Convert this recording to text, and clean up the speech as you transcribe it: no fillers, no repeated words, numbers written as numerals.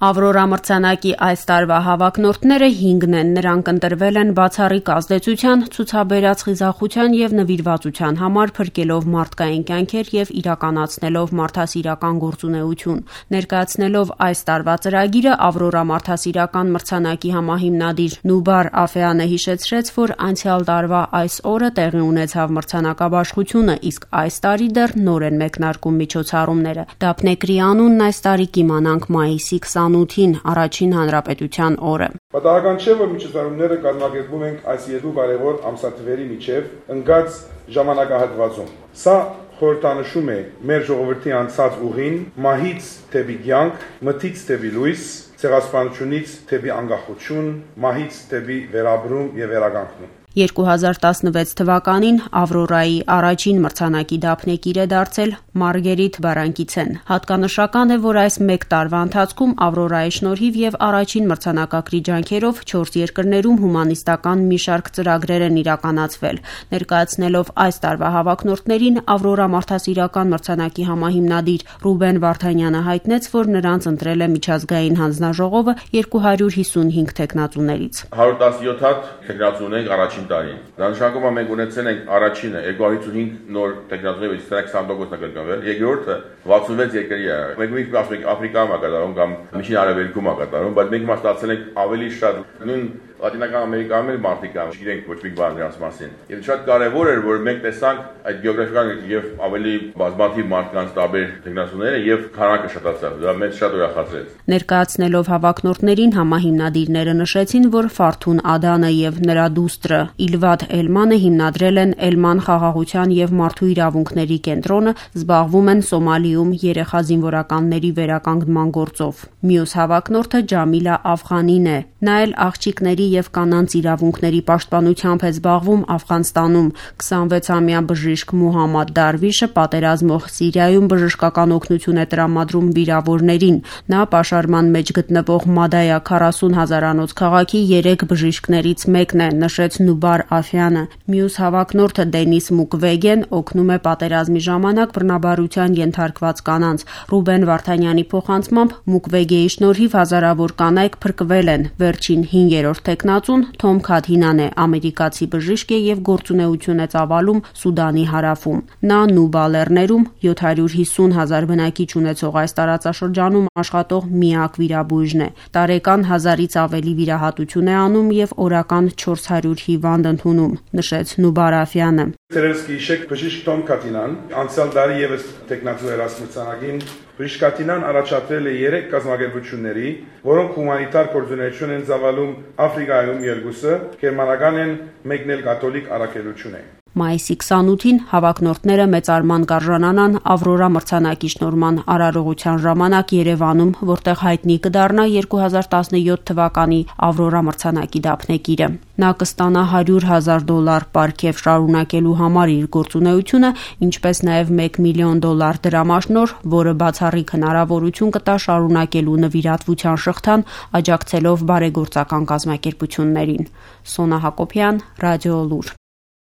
Ավրորա մրցանակի այս տարվա հավակնորդները 5-ն են, նրանք ընտրվել են բացառիկ ազդեցության, ցուցաբերած խիզախության եւ նվիրվածության համար փրկելով մարդկային կյանքեր եւ իրականացնելով մարդասիրական գործունեություն։ Ներկայացնելով այս տարվա ծրագիրը Ավրորա մարդասիրական մրցանակի համահիմնադիր Նուբար Աֆեանը հիշեցրեց, որ անցյալ տարվա այս օրը տեղի ունեցավ մրցանակաբաշխությունը, իսկ այս տարի դեռ նոր են մեկնարկում միջոցառումները։ Դափնեկրի անունն այս տարի կիմանանք մայիսի 28-ին, առաջին հանրապետության օրը։ Պատահական չէ, որ միջոցառումները կազմակերպում ենք այս երկու կարևոր ամսաթվերի միջև ընկած ժամանակահատվածում։ Սա խորհրդանշում է մեր ժողովրդի անցած ուղին, մահից դեպի կյանք, մթից դեպի լույս, ցեղասպանությունից դեպի անկախություն, մահից դեպի վերաբրում եւ վերականգնում։ 2016 թվականին Ավրորայի առաջին մրցանակի դափնեկիր է դարձել Մարգերիտ Բարանկիցեն։ Հատկանշական է, որ այս մեկ տարվա ընթացքում Ավրորայի շնորհիվ եւ առաջին մրցանակակրի ջանքերով 4 երկրներում հումանիստական մի շարք ծրագրեր են իրականացվել։ Ներկայացնելով այս տարվա հավակնորդներին Ավրորա մարդասիրական մրցանակի համահիմնադիր Ռուբեն Վարդանյանը հայտնեց, որ նրանց ընտրել է միջազգային հանձնաժողովը 255 թեկնածուներից։ 117 հատ թեկնածու ունենք առաջին տարին։ Դա նշանակում է մենք ունեցել ենք առաջինը 255 նոր տեխնոլոգիաների 20% կրկնվել, երկրորդը 66 երկրի է։ Մենք ասում ենք Աֆրիկայում է կատարում կամ Միջին Արևելքում է կատարում, բայց մենք ստացել ենք ավելի շատ նույն Լատինական Ամերիկայում էլ մարդիկ կան, չգիտենք ոչ մի բան նրանց մասին։ Եվ շատ կարևոր էր, որ մենք տեսանք այդ գեոգրաֆիական եւ ավելի բազմաթիվ մարդկանց տարբեր տեխնոլոգիաները եւ քանակը շատացավ։ Դա մեզ շատ ուրախացրեց։ Ներկայացնելով հավակնորդներին համահիմնադիրները նշեցին, որ Ֆարթուն Ադանը եւ նրա դուստրը Իլվադ Էլմանը հիմնադրել են Էլման խաղաղության եւ մարդու իրավունքների կենտրոնը, զբաղվում են Սոմալիում երեխա զինվորականների վերականգնման գործով։ Մյուս հավակնորդը Ջամիլա Աֆղանին է։ Նա էլ աղջիկների եւ կանանց իրավունքների պաշտպանությամբ է զբաղվում Աֆղանստանում։ 26-ամյա բժիշկ Մուհամմադ Դարվիշը պատերազմող Սիրիայում բժշկական օգնություն է տրամադրում վիրավորներին։ Նա պաշարման մեջ գտնվող Մադայա 40 հազարանոց քաղաքի 3 բժիշկներից մեկն է, նշեց Նուբար Աֆյանը։ Մյուս հավակնորդը Դենիս Մուկվեգեն օգնում է պատերազմի ժամանակ բռնաբարության ենթարկված կանանց։ Ռուբեն Վարդանյանի փոխանցմամբ Մուկվեգեի շնորհիվ հազարավոր կանայք փրկվել են։ Վերջին 5-րդ տեխնացուն Թոմ Քաթինան է, ամերիկացի բժիշկ է եւ գործունեություն է ծավալում Սուդանի հարավում։ Նա Նուբա լեռներում 750 հազար բնակիչ ունեցող այս տարածաշրջանում աշխատող միակ վիրաբույժն է։ Տարեկան 1000-ից ավելի վիրահատություն է անում եւ օրական 400 հիվանդ ընդունում, նշեց Նուբար Աֆյանը։ Տերեսկի շեք բժիշկ Թոմ Քաթինան անցյալ տարի եւս տեխնացու երասմցանագին բժիշկ Քաթինան առաջադրել է 3 կազմակերպությունների, որոնք հումանիտար գործունեություն են ծավալում Աֆրիկայում 2-ը, գերմանական են, մեկն էլ կաթոլիկ առաքելություն է։ Մայիսի 28-ին հավակնորդները մեծարման կարժանանան Ավրորա մրցանակի շնորհման արարողության ժամանակ Երևանում, որտեղ հայտնի կդառնա 2017 թվականի Ավրորա մրցանակի դափնեկիրը։ Նա կստանա $100,000 պարգև շարունակելու համար իր գործունեությունը, ինչպես նաև $1 միլիոն դրամաշնորհ, որը բացառիկ հնարավորություն կտա շարունակելու նվիրատվության շղթան, աջակցելով բարեգործական կազմակերպություններին։ Սոնա Հակոբյան, Ռադիո Լուր։